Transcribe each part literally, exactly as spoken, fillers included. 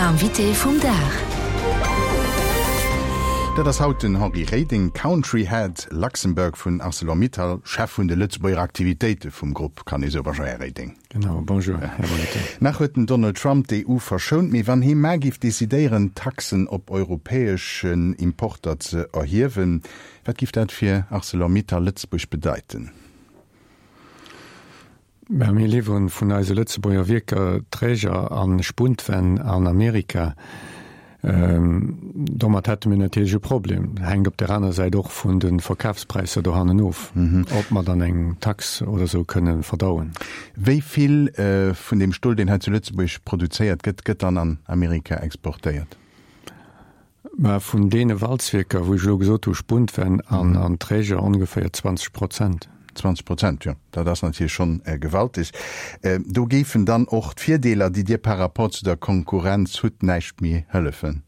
Invité vum Dag. Dat ass haut den Henri Reding, Country Head Luxembourg vun ArcelorMittal, Chef vun de Lëtzebuerger Aktivitéite vum Grupp, kann ee soen. Bonjour, Här Reding. Genau, bonjour, Här Molitor. Nach huet den Donald Trump d'EU verschount, mee wann hie mar giff decidéieren, Taxen op europäeschen Importer ze erhiewen, wat giff dat fir ArcelorMittal Lëtzebuerg bedeiten? Mä mir liwweren vun eise Lëtzebuerger Wierker Träger a Spuntwänn an Amerika. Domat hätte mir natierlech e Problem. Hänkt op der aner Säit och vun de Verkafspräisser dohannen of, ob mer dann eng Tax oder esou kënne verdauen. Wéi vill vun deem Stol, deen hei zu Lëtzebuerg produzéiert gëtt, gëtt dann an Amerika exportéiert? Mä vun deene Walzwierker, wou ech elo gesot hu Spuntwänn an Träger, ongeféier zwanzeg Prozent. Zwanzeg Prozent, jo, dat ass natierlech schonn gewaltig. Do géifen dann och d'Virdeeler, déi Dir par rapport zu der Konkurrenz hutt, näischt méi hëllefen?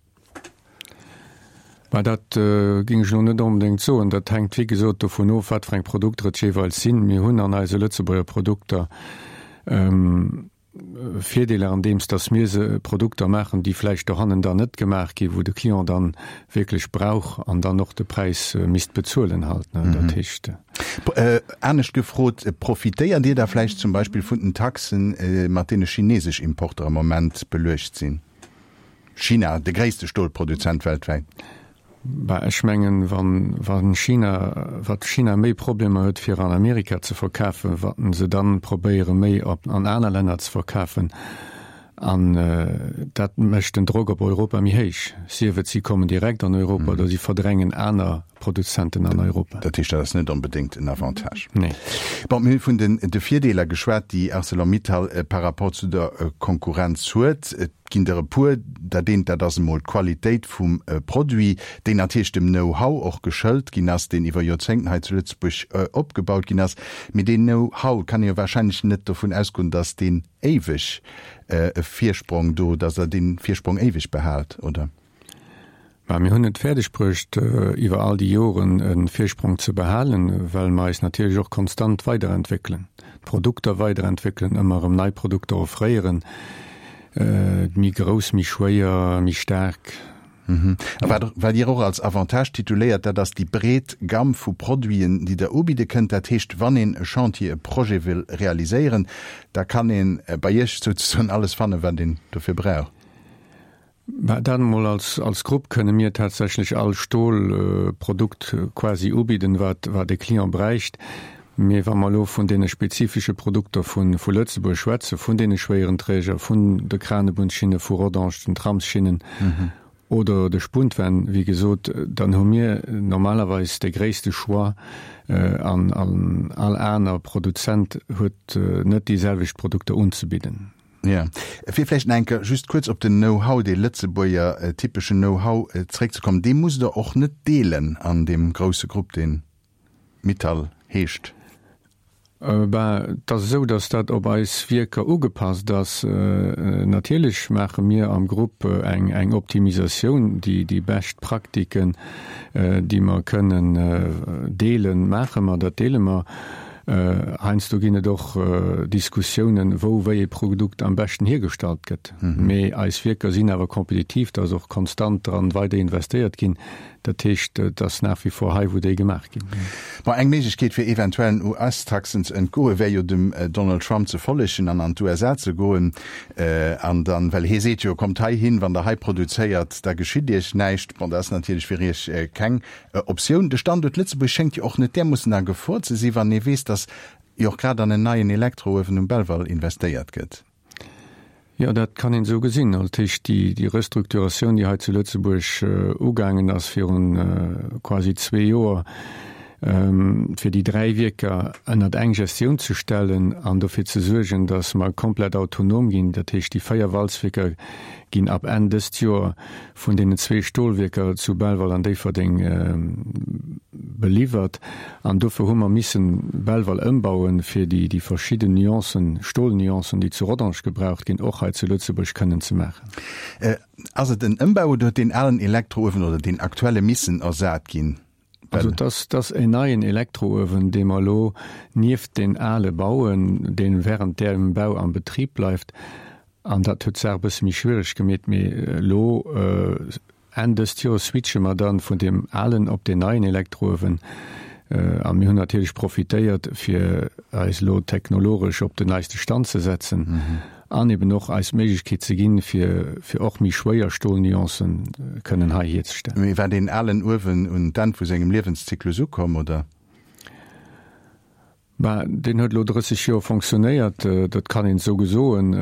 Mä dat géing ech elo net onbedéngt soen. Dat hänkt, wéi gesot, dovun of, wat fir eng Produkter et jeeweils sinn. Mir hunn an eise Lëtzebuerger Produkter Virdeeler andeems dass mir se Produkter maachen, déi vläicht dohannen dann net gemaach ginn, wou de Client dann wierklech brauch an dann och de Präis misst bezuelen halt, ne. Dat heescht. Anescht gefrot, Profitéiert Dir da vläicht zum Beispill vun den Taxen, mat deene chinesesch Importer am Moment beluecht sinn? China, de gréisste Stolproduzent weltwäit. Bah, ech mengen, wann, wann China, wat China méi Problemer huet fir an Amerika ze verkafen, wat se dann probéiere méi op an aner Länner ze verkafen, an dat mécht den Drock op Europa méi héich, sief et si kommen direkt an Europa oder si verdrängen aner Produzenten an Europa. Dat heescht, dat ass net onbedéngt en Avantage. Nee. Bon, mir hu vun den de Virdeeler geschwat, déi Arcelor-Mittal par rapport zu der Konkurrenz huet. Et ginn der e puer. Dat eent, dat ass emol d'Qualitéit vum Produit, déi natierlech dem Know-how och geschëlt ginn ass, deen iwwer Joerzéngten hei zu Lëtzebuerg opgebaut ginn ass. Mee deen Know-how, kann ee jo wahrscheinlech net dovun ausgoen, datt deen éiweg e Virsprong do, datt Der dee Virsprong éiweg behaalt, oder? Mä mir hunn et fäerdeg bruecht, iwwer all déi Joren e Virsprong ze behalen, well mer eis natierlech och konstant weiderentwéckelen, d'Produkter weiderentwéckelen, ëmmer erëm nei Produkter offréieren, méi grouss, méi schwéier, méi staark. A wat, wat Dir och als Avantage tituléiert, dat ass déi breet Gamm vu Produiten, déi Der ubidde kënnt. Dat heescht, wann een e Chantier, e Projet wëll realiséieren, da kann ee bei Iech souzesoen alles fannen, wat een dofir brauch. Mä dat emol als, als Grupp kënne mir tatsächlech all Stolprodukt quasi ubidden, wat, wat e Client bräicht. Mee wa mer elo vun deene spezifesche Produkter vu, vu Lëtzebuerg schwätzen, vun deene schwéieren Träger, vun de Kranebunnschinne vu Rodange, den Tramsschinnen oder de Spuntwänn, wéi gesot, dann hu mir normalerweis de gréisste Choix an, an all aner Produzent huet net déi selwecht Produkter unzebidden. Jo. Fir vläicht nach eng Kéier just kuerz op den Know-how, dee Lëtzebuerger typeschen Know-how zréckzekommen, dee musst Der och net deelen an deem grousse Grupp, dee Mittal heescht. Ben, et ass esou, datt dat op eis Wierker ugepasst ass. Natierlech maache mir am Grupp eng, eng Optimisatioun, déi, déi bescht Praktiken, déi mer kënnen deelen, maache mer, dat deele mer. Heiansdo ginn et och Diskussiounen, wou wéi ee Produkt am beschten hiergestallt gëtt. Mee eis Wierker sinn awer kompetitiv, da ass och konstant dran weider investéiert ginn. Dat heescht, et ass nach wie vor hei, wou déi gemaach ginn. Bon, eng Méiglechkeet, fir eventuellen US-Taxen ze entgoen, wär jo dem Donald Trump ze follegen an an d'USA ze goen. An dann, well hie seet jo, kommt heihin, wann der hei produzéiert, da geschitt iech näischt. Bon, dat ass natierlech fir iech keng Optioun. De Standuert Lëtzebuerg schéngt jo och net därmoossen a Gefor ze sinn, wann ee weess, datt jo och grad an en neien Elektrouewen um Belval investéiert gëtt. Jo, dat kann een esou gesinn. Dat heescht, déi Restrukturatioun, déi hei zu Lëtzebuerg ugaangen ass virun quasi zwee Joer, fir déi dräi Wierker ënnert eng Gestioun ze stellen an dofir ze suergen, datt mer komplett autonom ginn, dat heescht, déi véier Walzwierker ginn ab Enn dëst Joer vun deenen zwee Stolwierker zu Belval an Déifferdeng beliwwert. An dofir hu mer missen Belval ëmbauen, fir déi déi verschidden Nuancen, Stolnuancen, déi zu Rodange gebraucht ginn, och hei zu Lëtzebuerg kënnen ze maachen. Ass et en Ëmbau oder huet deen alen Elektrouewen oder deen aktuelle missen ersat ginn? Also et ass, et ass en neien Elektrouewen, dee mer elo nieft deen ale bauen, dee während däerem Bau am Betrib bleift. An dat huet d'Saach e bësse méi schwiereg gemeet. Mee elo Enn dëst Joers switche mer dann vun deem alen op deen neien Elektrouewen. A mir hunn natierlech profitéiert, fir eis elo technologesch op den neiste Stand ze setzen an eben och eis d'Méiglechkeet ze ginn, fir fir och méi schwéier Stolnuancen kënnen hei hierzestellen. Mee war deen alen Uewen un d'Enn vu sengem Liewenszyklus ukomm, oder? Bah, deen huet elo drësseg Joer fonctionnéiert, dat kann een esou gesoen.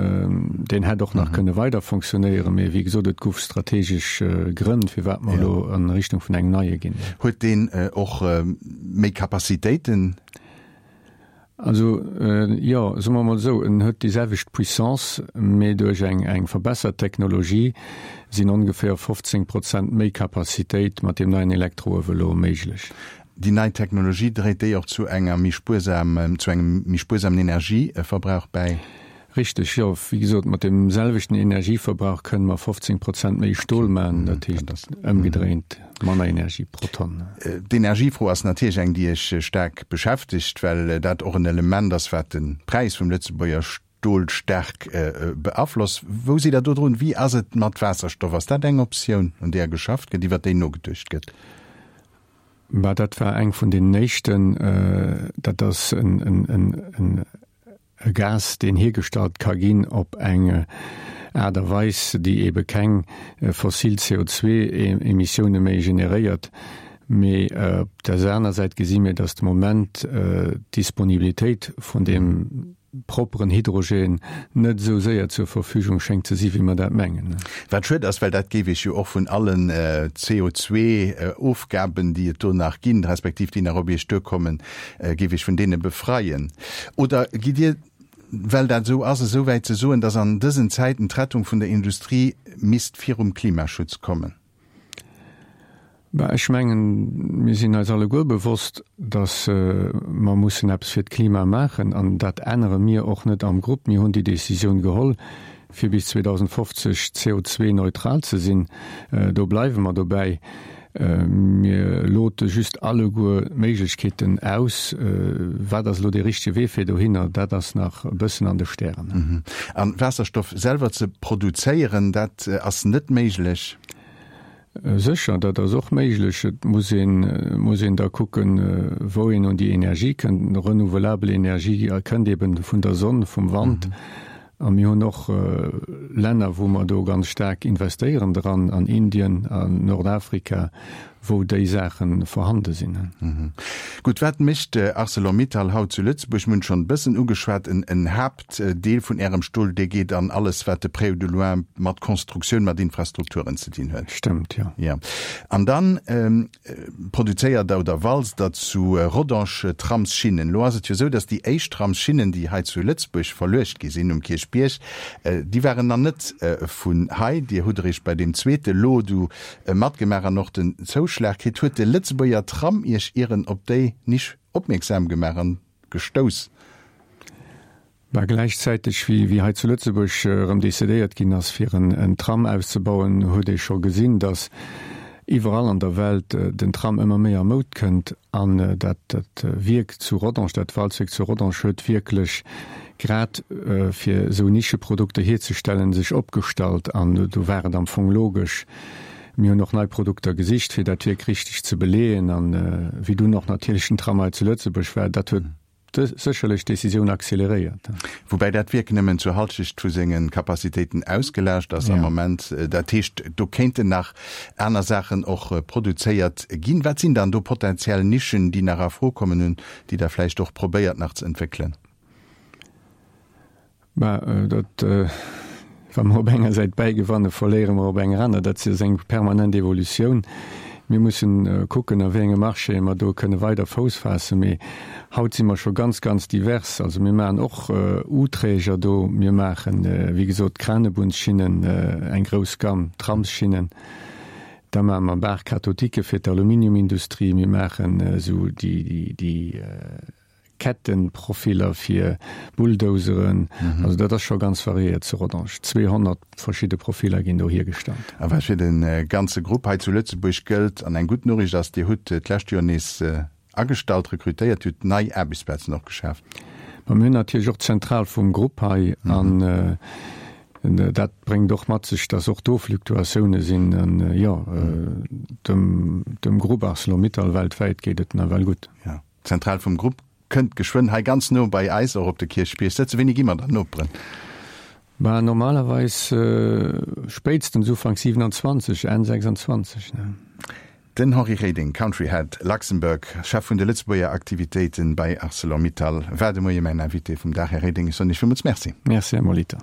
Deen hätt och nach kënne weider fonctionnéieren, mee wéi gesot, et gouf strategesch Grënn, firwat mer elo an Richtung vun engem neie ginn. Huet deen och méi Capacitéiten? Also, jo, soe mer emol esou, en huet déi selwecht Puissance, mee duerch eng eng verbessert Technologie sinn ongeféier fofzéng Prozent méi Capacitéit mat deem neien Elektrouewe elo méiglech. Déi nei Technologie, dréit déi och zu enger méi spuersam, zu engem méi spuersamen Energieverbrauch bäi? Richteg, jo. Wéi gesot, mat deem selwechten Energieverbrauch kënne mer fofzéng Prozent méi Stol maachen, dat heescht ëmgedréint manner Energie pro Tonn. D'Energiefro ass natierlech eng, déi Iech staark beschäftegt, well dat och en Element ass, wat de Präis vum Lëtzebuerger Stol staark beaflosst. Wou sidd Der do drun? Wéi ass et mat Waasserstoff? Ass dat eng Optioun, un deeër geschafft gëtt, iwwer déi nogeduecht gëtt? Bah, dat war eng vun den éischten. Dat ass en e Gas, deen hiergestallt ka ginn op eng Aart a Weis, déi eebe keng fossil C O zwee Emissioune méi generéiert. Mee op der aner Säit gesi mir, datt de Moment d'Disponibilitéit vun deem propperen Hydrogen net esou séier zur Verfügung schéngt ze si wéi mer dat mengen. Wat schued ass, well dat géif Iech jo och vun allen C O zwee Ofgaben, déi et do nach ginn, respektiv déi nach op Iech duerkommen, géif Iech vun deene befreien. Oder gitt Dir, well dat esou ass, esou wäit ze soen, datt an dësen Zäiten d'Rettung vun der Industrie misst virum Klimaschutz kommen? Bah, ech mengen, mir sinn eis alleguer bewosst, datt mer mussen eppes fir d'Klima maachen. An dat ännere mir och net am Grupp. Mir hunn déi Décisioun geholl, fir bis zweedausendfofzeg C O zwei neutral ze sinn. Do bleiwe mer dobäi. Mir lote just alleguer d'Méiglechkeeten aus. Wat ass elo dee richtege Wee fir dohinner, dat ass nach e bëssen an de Stären. A Waasserstoff selwer ze produzéieren, dat ass net méiglech? Sécher, dat ass och méiglech. Et muss een, muss een da kucken, wou een un déi Energie kënnt. Renouvelabel Energie kënnt eben vun der Sonn, vum Wand. A mir hunn och Länner, wou mer do ganz staark investéieren dran, an Indien, an Nordafrika, wou déi Saache vorhande sinn. Gutt, wat mécht Arcelor-Mittal haut zu Lëtzebuerg? Mir hunn et schonn e bëssen ugeschwat, en Haaptdeel vun Ärem Stol, dee geet an alles, wat de près ou de loin mat Constructioun, mat Infrastrukturen ze dinn huet. Stëmmt, jo. Jo. An dann produzéiert Der oder walzt Der zu Rodange Tramsschinnen. Elo ass et jo esou, datt déi éischt Tramsschinnen, déi hei zu Lëtzebuerg verluecht gi sinn um Kierchbierg, déi waren nach net vun hei. Dir hutt eréischt bei deem zweete Lot du matgemaach an och den Zouschlag kritt. Huet de Lëtzebuerger Tram Iech ieren op déi Nisch opmierksam gemaach an gestouss? Bah, gläichzäiteg wéi wéi hei zu Lëtzebuerg erëm decidéiert ginn ass, fir en en Tram auszebauen, huet ee scho gesinn, datt iwwerall an der Welt den Tram ëmmer méi a Moud kënnt. An dat dat Wierk zu Rodange, dat Walzwierk zu Rodange huet wierklech grad fir esou Nischeprodukter hierzestellen sech opgestallt. An do war et am Fong logesch. Mir hunn och nei Produkter gesicht, fir dat Wierk richteg ze beleeën. An wéi dunn och natierlech den Tram hei zu Lëtzebuerg war, dat huet sécherlech d'Decisioun acceleréiert. Woubäi dat Wierk nëmmen zur Halschecht vu senge Capacitéiten ausgelaascht ass am Moment. Dat heescht, do kéinten nach aner Saachen och produzéiert ginn. Wat sinn dann do potenziell Nischen, déi nach a Fro kommen, un déi Der vläicht och probéiert nach ze entwéckelen? Bah, dat, wa mer op enger Säit bäigewanne, verléiere mer op enger aner. Dat ass eng permanent Evolutioun. Mir mussen kucken, a wéi enge Marchéë mer do kënne weider Fouss faassen. Mee haut si mer scho ganz, ganz divers. Also mir maachen och U-Träger do. Mir maachen, wéi gesot, Kranebunnschinnen, eng grouss Gamme, Tramsschinnen. Da maache mer Barres cathodiques fir d'Aluminiumindustrie. Mir maachen esou déi, déi Kettenprofiller fir Bulldozeren. Also dat ass scho ganz variéiert zu Rodange. zweehonnert verschidde Profiller ginn do hiergestallt. A wat fir de ganze Grupp hei zu Lëtzebuerg gëllt, an eng gutt Noriicht ass, Dir hutt d'lescht Joer nees agestallt, rekrutéiert, hutt nei Aarbechtsplazen och geschaaft. Ma mir hunn natierlech och d'Zentral vum Grupp hei an Dat bréngt och mat sech, dass och do Fluktuatioune sinn. An jo, dem, dem Grupp Arcelor-Mittal weltwäit geet et nawell gutt. Jo, d'Zentral vum Grupp kënnt geschwënn hei ganz no bei eis och op de Kierchbierg sëtzen. Wéini gi mer dann Noperen? Bah, normalerweis spéitstens Ufank siewenundzwanzeg, Enn sechsundzwanzeg, ne. Den Henri Reding, Country Head Luxembourg, Chef vun de Lëtzebuerger Aktivitéiten bei Arcelor-Mittal, war de Moie mäin Invité vum Dag. Här Reding, ech soen Iech villmools Merci. Merci, Här Molitor.